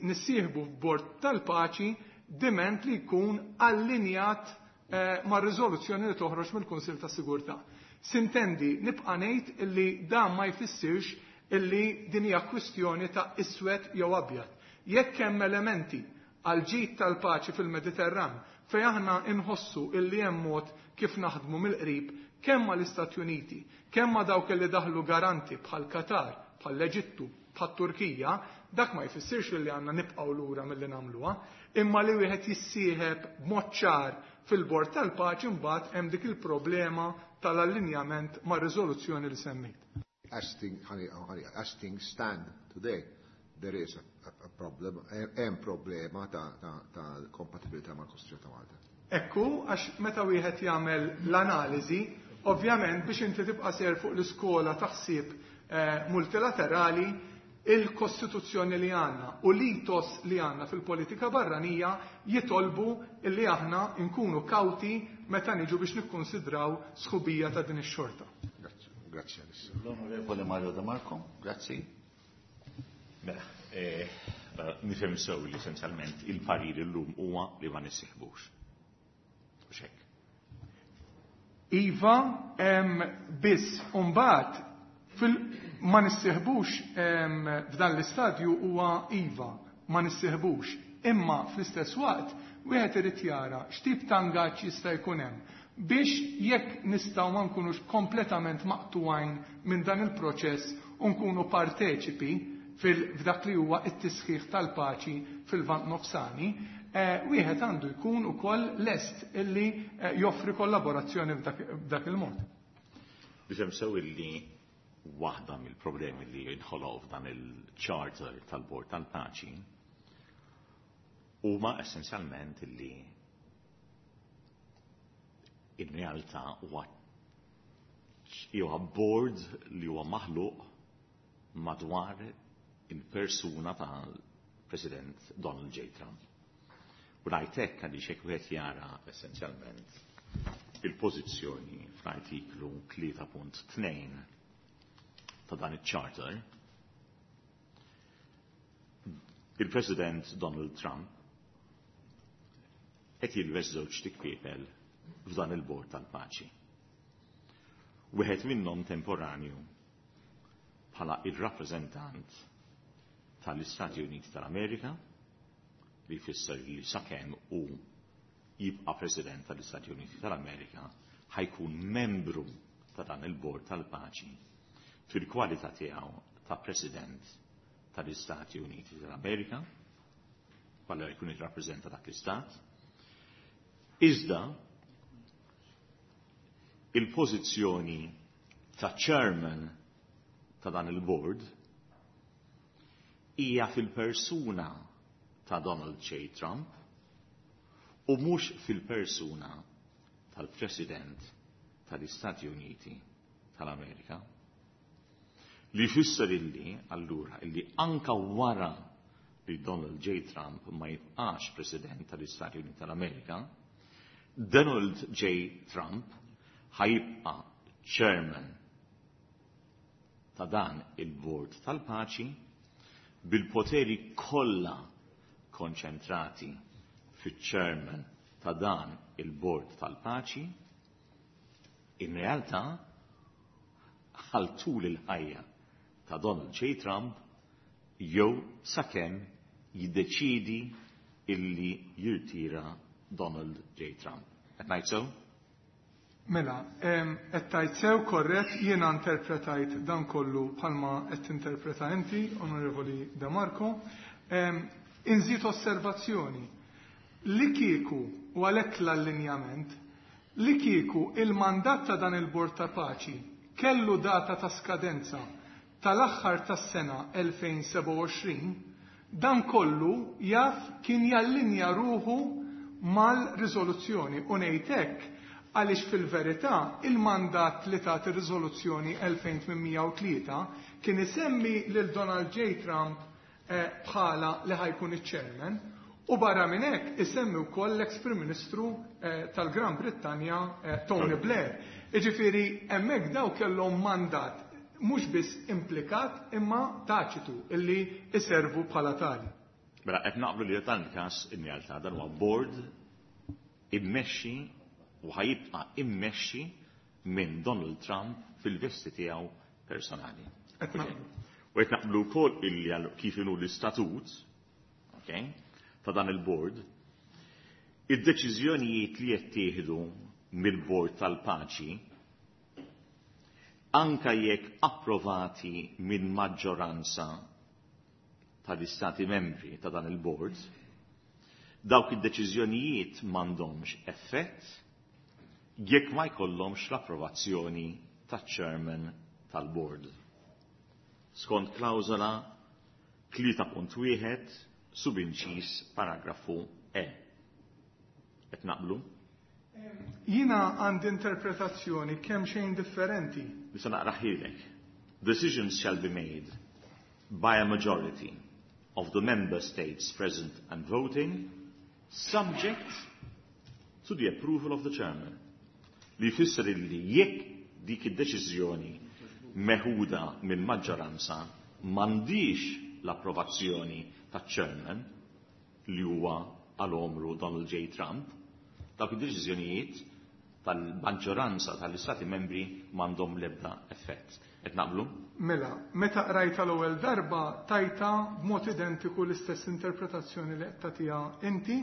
nissieħbu f'bord tal-paċi diment li jkun allinjat eh, ma' riżoluzzjoni li toħroġ mill-Kunsill ta' Sigurtà. Sintendi nibqa' ngħid illi dan ma jfissirx illi din hija kwistjoni ta' iswed jew abjad. Jekk hemm elementi għal ġid tal-paċi fil-Mediterran fejn aħna inħossu illi hemm mod kif naħdmu mill-qrib kemm mal-Istati Uniti, kemm ma' dawk li daħlu garanti bħal Qatar, bħal l-Eġittu, bħal Turkija, dak ma jfissirx li għandna nibqgħu lura milli nagħmluha, imma li wieħed jissieħeb b'mod ċar fil-bord tal-paċi mbagħad hemm dik il-problema tal-allinjament ma' riżoluzzjoni li semmejt. As things, as things stand today, there is a, a, a problem, hemm problema ta', ta, ta kompatibilità mal-Kostituzzjoni ta' Malta. Ekku, għax meta wieħed jagħmel l-analiżi, ovvjament biex inti tibqa' ser fuq l-iskola taħsib eh, multilaterali, il-Kostituzzjoni li għandna u l-ethos li għandna fil-politika barranija jitolbu li aħna nkunu kawti meta niġu biex nikkonsidraw sħubija ta' din ix-xorta. Grazzi. L-Onorevole Mario De Marco, grazzi. Mela, eh, nifhem sew li essenzjalment il-parir illum huwa li ma nissieħbux. Mhux hekk. Iva, biss mbagħad fil ma nissieħbux f'dan l-istadju huwa iva, ma nissieħbux. Imma fl-istess waqt wieħed irid jara x'tip ta' ingaġġ jista' jkun hemm biex jekk nistgħu ma nkunux kompletament maqtuwajn minn dan il-proċess u nkunu parteċipi f'dak li huwa t-tisħiħ tal-paċi fil-Lvant Nofsani, wieħed għandu jkun ukoll lest illi joffri kollaborazzjoni f'dak il-mod. Biex sew illi waħda mill-problemi li jinħoloq f'dan il-charter tal-Bord tal-Paċi huma essenzjalment illi in realtà huwa huwa board li huwa maħluq madwar il-persuna tal-President Donald J. Trump. U ngħid għaliex hekk wieħed jara essenzjalment il-pożizzjoni fl-artiklu tlieta punt tnejn ta' dan iċ-charter, il-President Donald Trump qed jilbes żewġ tikpiepel f'dan il-Bord tal-Paċi. Wieħed minnhom temporanju bħala ir-rappreżentant tal-Istati Uniti tal-Amerika, li jfisser li sakemm hu jibqa' President tal-Istati Uniti tal-Amerika ħajkun membru ta' dan il-Bord tal-Paċi fil-kwalità tiegħu ta' President tal-Istati Uniti tal-Amerika, bħala jkun jirrappreżenta dak l-istat. Iżda il-pożizzjoni ta' chairman ta' dan il-board hija fil-persuna ta' Donald J. Trump u mhux fil-persuna tal-President tal-Istati Uniti tal-Amerika. Li jfisser illi, allura, illi anka wara li Donald J. Trump ma jibqax President tal-Istati Uniti tal-Amerika, Donald J. Trump ħajibqa chairman ta' dan il-Bord tal-Paċi bil-poteri kollha konċentrati fiċ-chairman ta' dan il-Bord tal-Paċi, in realtà għal tul il-ħajja ta' Donald J. Trump jew sakemm jiddeċidi illi jirtira Donald J. Trump. Qed ngħid sew? Mela, qed tgħid sew, korrett, jiena interpretajt dan kollu bħalma qed tinterpreta inti, Onorevoli De Marco. Inżid osservazzjoni. Li kieku, u għalhekk l-allinjament, li kieku il-mandat ta' dan il-Bord ta' Paċi kellu data ta' skadenza tal-aħħar tas-sena elfejn sebgħa u għoxrin, dan kollu jaf kien jallinja ruħu mal-riżoluzzjoni. U ngħid hekk għaliex fil-verità il-mandat li tat ir-riżoluzzjoni elfejn tmien u tlieta kien isemmi lil Donald J. Trump bħala li ħajkun iċ-chairman, u barra minn hekk isemmi wkoll l-ex Prim Ministru tal-Gran Brittanja Tony Blair. Jiġifieri hemmhekk daw kellhom mandat mhux biss implikat imma taċitu illi iservu bħala tali. Mela qed naqblu li dan il-każ in realtà dan huwa board immexxi u ħajibqa' immexxi minn Donald Trump fil-vesti tiegħu personali. Qed naqblu. U qed naqblu wkoll illi għal kif inhu l-istatut, okay, ta' dan il-board, id-deċiżjonijiet li jittieħdu mill-Bord tal-Paċi anka jekk approvati minn maġġoranza tal-istati membri ta' dan il-board, dawk id-deċiżjonijiet m'għandhomx effett jekk ma jkollhomx l-approvazzjoni taċ-chairman tal-board. Skont klawżola tlieta punt wieħed subinċis paragrafu E. Qed naqblu? Jiena għandi interpretazzjoni kemm xejn differenti. Nista' naqraħilek. Decisions shall be made by a majority of the member states present and voting, subject to the approval of the chairman. Li jfisser illi jekk dik id-deċiżjoni meħuda minn maġġoranza m'għandix l-approvazzjoni taċ-chairman li huwa għal omru Donald J. Trump, dawk id-deċiżjonijiet tal-maġġoranza tal-istati membri m'għandhom l-ebda effett. Qed naqblu? Mela, meta qrajta l-ewwel darba tajta b'mod identiku l-istess interpretazzjoni li qed tagħtiha inti.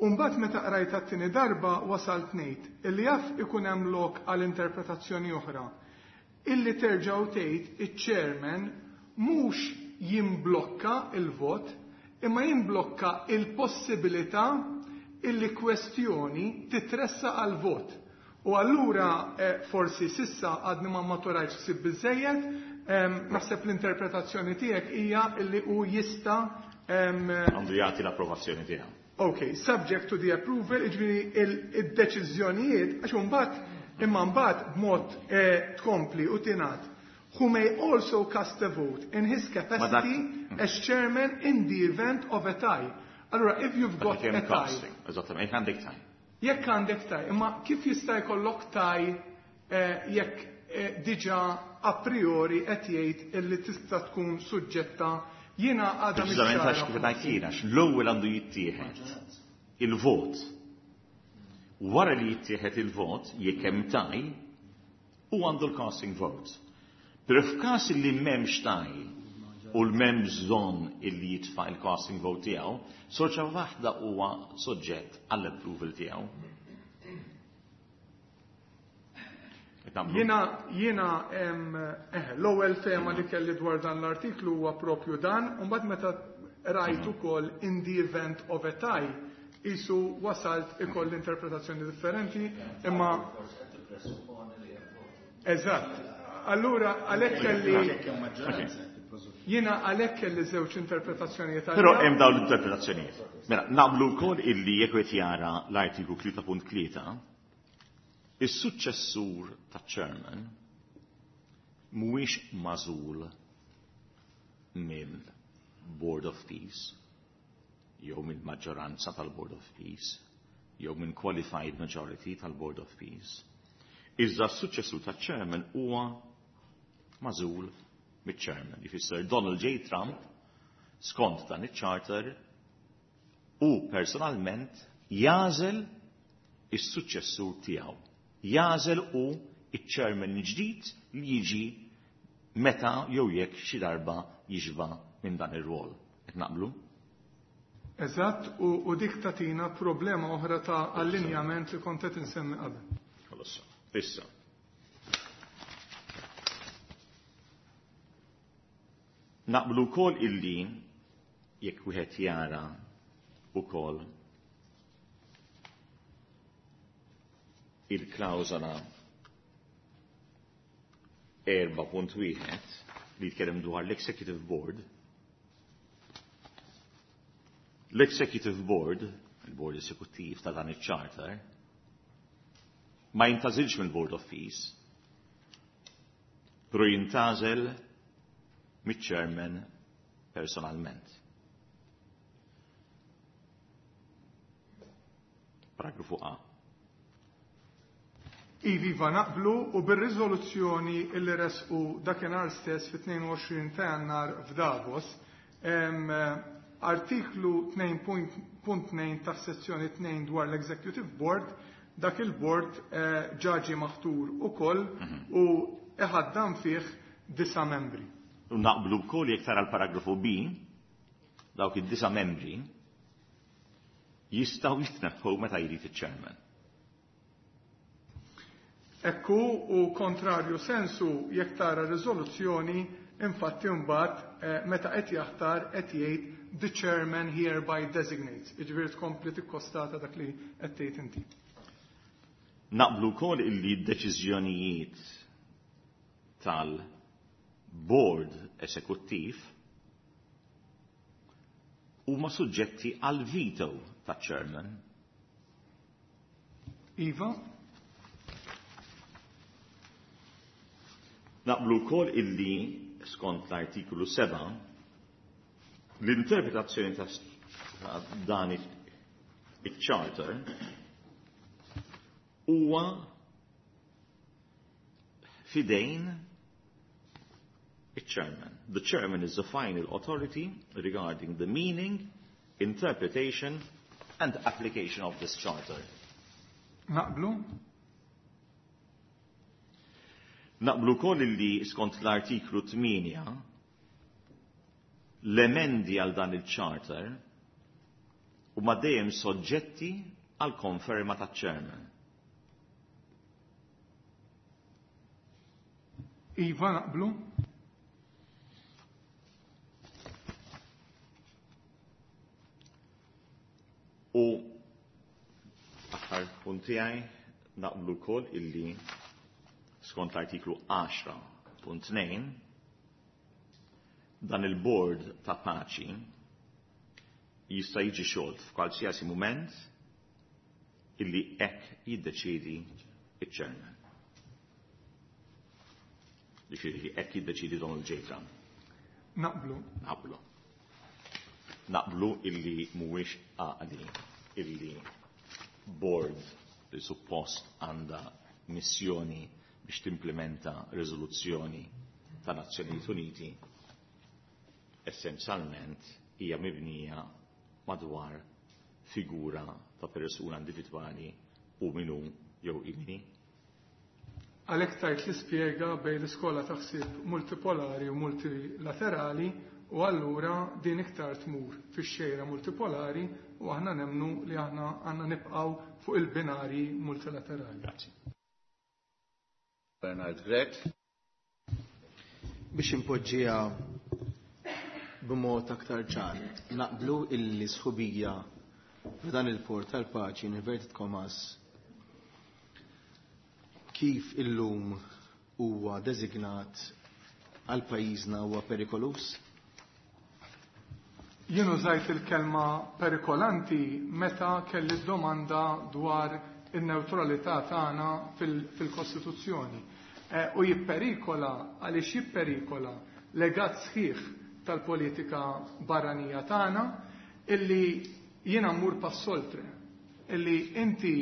U mbagħad meta qrajta t-tieni darba wasalt ngħid illi jaf ikun hemm lok għal interpretazzjoni oħra illi terġgħu tgħid iċ-chairman mhux jimblokka il-vot, imma jimblokka il-possibilità illi kwestjoni titressa għal vot. U allura eh, forsi sissa għadni ma maturajx ħsieb biżejjed, naħseb l-interpretazzjoni tiegħek hija illi hu jista' għandu jagħti l-approvazzjoni tiegħu. Ok, subject to the approval, jiġifieri il-deċiżjonijiet, għax imbagħad imma mbagħad b'mod eh, tkompli u tingħad who may also cast a vote in his capacity as chairman in the event of a tie. Allora, if you've got a tie. Eżattament, jekk għandek tie. Jekk għandek tie, imma kif jista' jkollok tie eh, jekk eh, diġà a priori qed jgħid illi tista' tkun suġġetta jiena għadha Preċiżament għax kif ngħid jiena, l-ewwel għandu jittieħed il-vot. Wara li jittieħed il-vot, jekk hemm tie, u għandu l-casting vote. Pero f'każ li m'hemmx tie u l-m'hemm bżonn illi jitfa' il-casting vote tiegħu, xorta waħda huwa soġġett għall-approval tiegħu. Jiena jiena eh, l-ewwel tema li kelli dwar dan l-artiklu huwa propju dan, u mbagħad meta rajt ukoll in the event of a tie, isu wasalt ikoll interpretazzjoni differenti, imma Eżatt. Allura għalhekk kelli jiena għalhekk kelli żewġ interpretazzjonijiet. Però hemm dawn l-interpretazzjonijiet. Mela, naqblu wkoll illi jekk qed jara l-artiklu tlieta punt tlieta, is-suċċessur taċ-chairman mhuwiex magħżul mill-Board of Peace jew mill-maġġoranza tal-Board of Peace jew minn qualified majority tal-Board of Peace. Iżda s-suċċessur taċ-chairman huwa magħżul miċ-chairman. Jfisser Donald J. Trump skont dan iċ-charter u personalment jagħżel is-suċċessur tiegħu. Jagħżel u iċ-chairman ġdid li jiġi meta jew jekk xi darba jixba minn dan ir-rol. Qed naqblu? Eżatt, u, u dik tatina problema oħra ta' allinjament li kont qed insemmi qabel. Ħalas. Issa. Naqblu wkoll illi jekk wieħed jara wkoll il-klawżola erba' punt wieħed li jitkellem dwar l-Executive Board. L-Executive Board, il-Board Esekuttiv ta' dan iċ-Charter, ma jintgħażilx mill-Board of Peace, però jintgħażel miċ-Chairman personalment. Paragrafu A. Iva naqblu u bir-riżoluzzjoni illi resqu dakinhar stess fit-tnejn u għoxrin ta' Jannar f'Davos, em, artiklu tnejn punt tnejn ta' sezzjoni tnejn dwar l-Executive Board, dak il-board, eh, ġaġi maħtur ukoll Mhm. u iħaddan fih disa' membri. U naqblu wkoll jekk tara l-paragrafu B, dawk id-disa' membri jistgħu jitneħħu meta jrid iċ-chairman. Ekku u kontrarju sensu jekk tara riżoluzzjoni, infatti mbagħad, eh, meta qed jaħtar qed jgħid the chairman hereby designates. Jiġifieri tkompli tikkostata dak li qed tgħid inti. Naqblu wkoll illi d-deċiżjonijiet tal-board esekuttiv huma suġġetti għal veto taċ-chairman. Iva. Naqblu wkoll illi skont l-artiklu seba' l-interpretazzjoni ta' dan iċ-charter huwa fidejn iċ-chairman. The chairman is the final authority regarding the meaning, interpretation and application of this charter. Naqblu? Naqblu wkoll illi skont l-artiklu tmienja l-emendi għal dan il-charter huma dejjem soġġetti għal konferma taċ-chairman. Iva, naqblu? Fil-punt tiegħi naqblu wkoll illi skont l-artiklu għaxra punt tnejn dan il-bord ta' paċi jista' jiġi xolt f'kwalsiasi mument illi hekk jiddeċiedi iċ-chairman. Jiġifieri hekk jiddeċiedi Donald J. Trump. Naqblu. Naqblu. Naqblu illi mhuwiex għaqli illi board li suppost għandha missjoni biex timplementa riżoluzzjoni ta' Nazzjonijiet Uniti essenzjalment hija mibnija madwar figura ta' persuna individwali u minu jew imini. Għalhekk tajt li spjega bejn l-iskola ta' ħsieb multipolari u multilaterali u allura din iktar tmur fix-xejra multipolari u aħna nemmnu li aħna għandna nibqgħu fuq il-binari multilaterali. Grazzi. Bernard Grech. Biex impoġġija b'mod aktar ċar, naqblu illi sħubija f'dan il-port tal-paċi in inverted commas kif illum huwa designat għal pajjiżna huwa perikolus? Jien użajt il-kelma perikolanti meta kelli domanda dwar in-neutralità tagħna fil-Kostituzzjoni. U jipperikola għaliex jipperikola legat sħiħ tal-politika barranija tagħna illi jiena mmur pass oltre, illi inti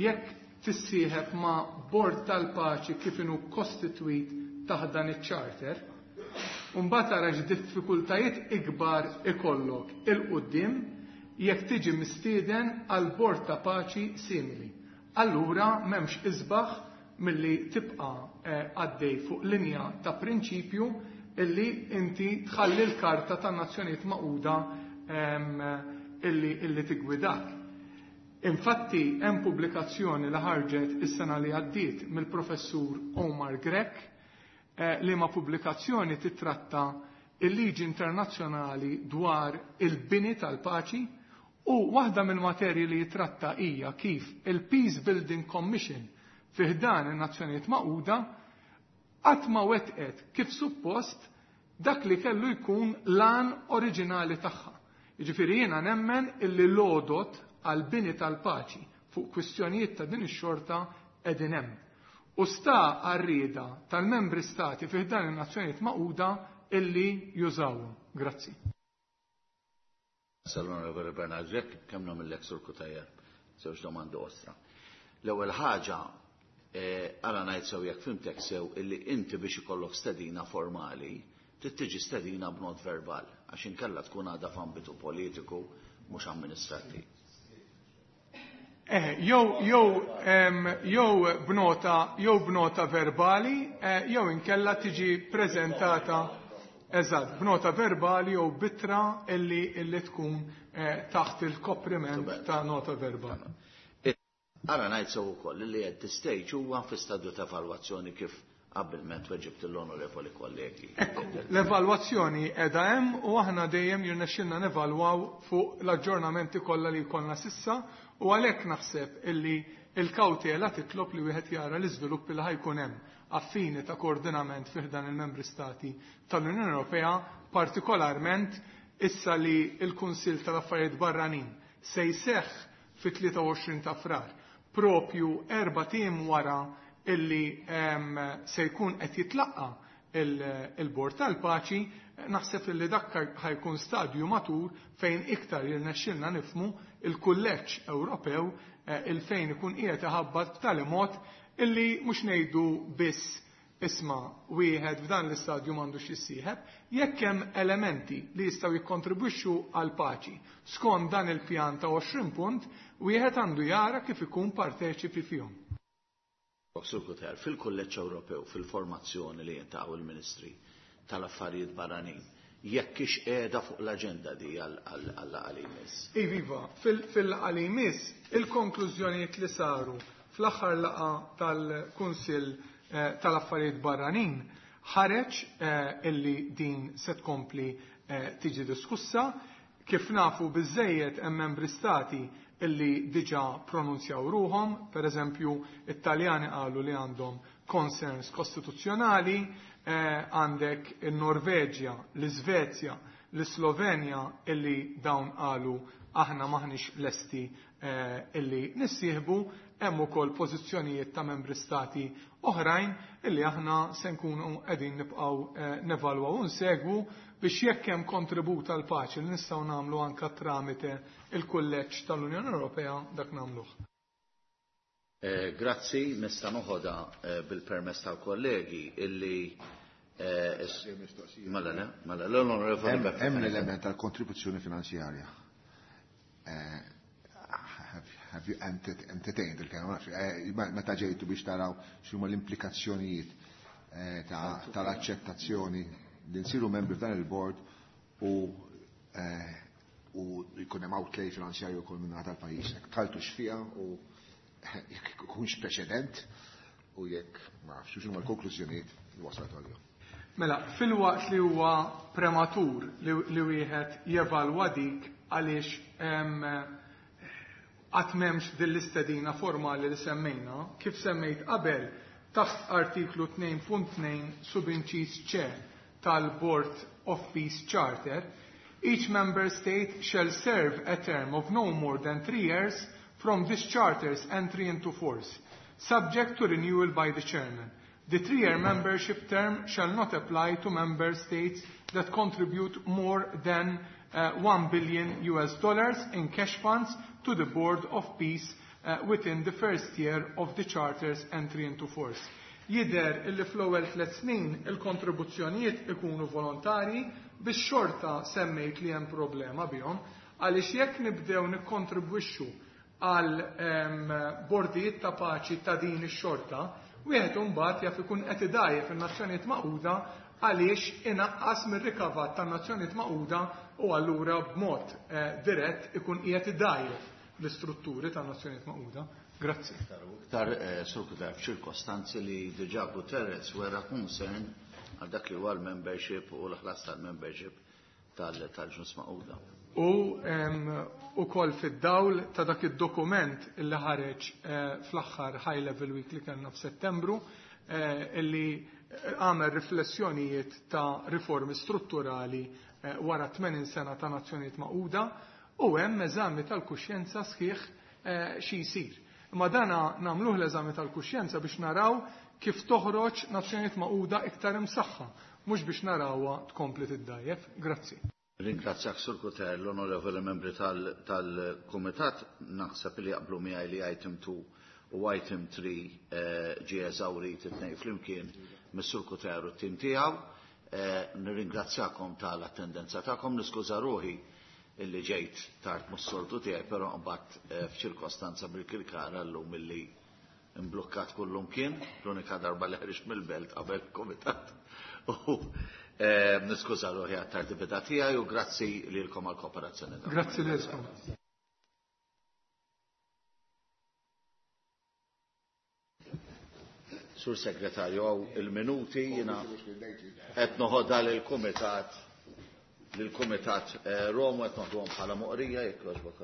jekk tissieħeb ma' bord tal-paċi kif inhu kostitwit taħt dan iċ-charter, u mbagħad tara x'diffikultajiet ikbar ikollok il-quddiem jekk tiġi mistieden għal bord ta' paċi simili. Allura m'hemmx isbaħ milli tibqa' għaddej fuq linja ta' prinċipju illi inti tħalli l-karta tan-Nazzjonijiet Magħquda illi, illi tigwidak. Infatti hemm pubblikazzjoni li ħarġet is-sena li għaddiet mill-professur Omar Grech eh, li ma pubblikazzjoni titratta il-liġi internazzjonali dwar il-bini tal-paċi u waħda mill-materji li jitratta hija kif il-Peace Building Commission fi ħdan in-Nazzjonijiet Magħquda qatt ma wettqet kif suppost dak li kellu jkun l-għan oriġinali tagħha. Jiġifieri jiena nemmen illi l-għodot għal bini tal-paċi fuq kwistjonijiet ta' din ix-xorta qegħdin hemm. U sta għar-rieda tal-membri stati fi ħdan in-Nazzjonijiet Magħquda illi jużawhom. Grazzi. Sal-Onorevoli Bernard Grech, kemm nagħmellek Sur Cutajar, żewġ domandi ostra. L-ewwel ħaġa, għala ngħid sew jekk fimtek sew illi inti biex ikollok stedina formali, trid tiġi stedina b'mod verbal, għax inkella tkun għadha f'ambitu politiku mhux amministrattiv. Eh, jew jew jew b'nota jew b'nota verbali, eh, jew inkella tiġi preżentata eżatt b'nota verbali jew bitra illi illi tkun eh, taħt il-kopriment ta' nota verbali. Ara ngħid sew ukoll li at this stage huwa fi stadju ta' evalwazzjoni kif qabbilment weġibt l-onorevoli kollegi. Ekku, l-evalwazzjoni qiegħda hemm u aħna dejjem jirnexxilna nevalwaw fuq l-aġġornamenti kollha li jkollna sissa u għalhekk naħseb illi il-kawtela titlob li wieħed jara l-iżviluppi li ħajkun hemm affini ta' koordinament fih dan il-membri stati tal-Unjoni Ewropea, partikolarment issa li l-Kunsill tal-Affarijiet Barranin se jseħħ fit-tlieta u għoxrin ta' Frar, propju erba' tim wara illi se jkun qed jitlaqqa il-Bord tal-Paċi, naħseb illi dak ħajkun stadju matur fejn iktar jirnexxilna nifmu il-Kulleġġ Ewropew il fejn ikun qiegħed iħabbat b'tali mod illi mhux ngħidu biss isma' wieħed f'dan l-istadju m'għandux jissieħeb, jekk hemm elementi li jistgħu jikkontribwixxu għal paċi skont dan il-pjan ta' għoxrin punt, wieħed għandu jara kif ikun parteċipi fihom. Sur Cutajar, fil-Kulleġġ Ewropew, fil-formazzjoni li jintaqgħu il-Ministri tal-Affarijiet Barranin, jekk ix qiegħda fuq l-aġenda di għal-laqgħa li jmiss? Iva, fil-laqgħa li jmiss, il-konklużjonijiet li saru fl-aħħar laqgħa tal-Kunsill tal-Affarijiet Barranin ħareġ illi din se tkompli tiġi diskussa. Kif nafu biżejjed hemm membri stati illi diġà pronunzjaw ruhom, per eżempju, it-Taljani qalu li għandhom concerns kostituzzjonali, għandek il-Norveġja, l-Iżvezja, l-Slovenja illi dawn qalu aħna maħniex lesti illi nissieħbu, hemm ukoll pożizzjonijiet ta' membri stati oħrajn illi aħna se nkunu qegħdin nibqgħu nevalwaw u nsegwu biex jekk hemm kontribut għal paċi li nistgħu nagħmlu anke tramite il-kulleġġ tal-Unjoni Ewropea dak nagħmluh. Grazzi, nista' noħodha bil-permess tal-kollegi illi mela le, mela l-onorevoli Hemm l-element tal-kontribuzzjoni finanzjarja. Have you entertained il-kelma? Meta ġejtu biex taraw x'huma l-implikazzjonijiet tal-aċċettazzjoni li nsiru membri f'dan il-board u u jkun hemm outlay finanzjarju wkoll minn tal-pajjiż. Tħaltu x'fiha u jekk ikunx preċedent u jekk ma nafx x'huma l-konklużjonijiet li wasalt għalihom. Mela, fil-waqt li huwa prematur li wieħed jevalwa dik għaliex qatt m'hemmx din l-istedina formali li semmejna, kif semmejt qabel taħt artiklu tnejn punt tnejn subinċiż C tal-Board of Peace Charter, each member state shall serve a term of no more than three years from this charter's entry into force, subject to renewal by the chairman. The three-year membership term shall not apply to member states that contribute more than uh, one billion U S dollars in cash funds to the Board of Peace uh, within the first year of the charter's entry into force. Jidher illi fl-ewwel tliet snin il-kontribuzzjonijiet ikunu volontari biex xorta semmejt li hemm problema bihom, għaliex jekk nibdew nikkontribwixxu għal bordijiet ta' paċi ta' din ix-xorta, wieħed imbagħad jaf ikun qed idajjef in-Nazzjonijiet Magħquda għaliex inaqqas mir-rikavat tan-Nazzjonijiet Magħquda u allura b'mod dirett ikun qiegħed idajjef l-istrutturi tan-Nazzjonijiet Magħquda. Grazzi. Iktar Sur Cutajar f'ċirkostanzi li diġà Guterres wera concern għal dak li huwa l-membership u l-ħlas tal-membership tal-Ġnus Magħquda. U ukoll fid-dawl ta' dak id-dokument illi ħareġ fl-aħħar High Level Week li kellna f'Settembru illi għamel riflessjonijiet ta' riformi strutturali wara tmenin sena ta' Nazzjonijiet Magħquda u hemm eżami tal-kuxjenza sħiħ xi jsir. Imma dana nagħmluh l-eżami tal-kuxjenza biex naraw kif toħroġ Nazzjonijiet Magħquda iktar imsaħħa, mhux biex narawha tkompli tiddajjef. Grazzi. Ringrazzjak Sur Cutajar, l-onorevoli membri tal-Kumitat, naħseb li jaqblu miegħi li item two u item three ġie eżawrit it-tnejn flimkien mis-Sur Cutajar u t-tim tiegħu. Nirringrazzjakom tal-attendenza tagħkom, niskuża ruħi illi ġejt tard mhux-soltu tiegħi, però mbagħad f'ċirkostanza bil-Kirkara llum illi imblukkat kullum kien, l-unika darba li ħriġt mill-belt qabel il-Kumitat. U niskuża ruħi għat-tardibità tiegħi u grazzi lilkom għall-kooperazzjoni tagħkom. Grazzi lilkom. Sur Segretarju, għaw il-minuti jiena qed noħodha lill-Kumitat lill-Kumitat Romu qed noħduhom bħala moqrija jekk jogħġbok.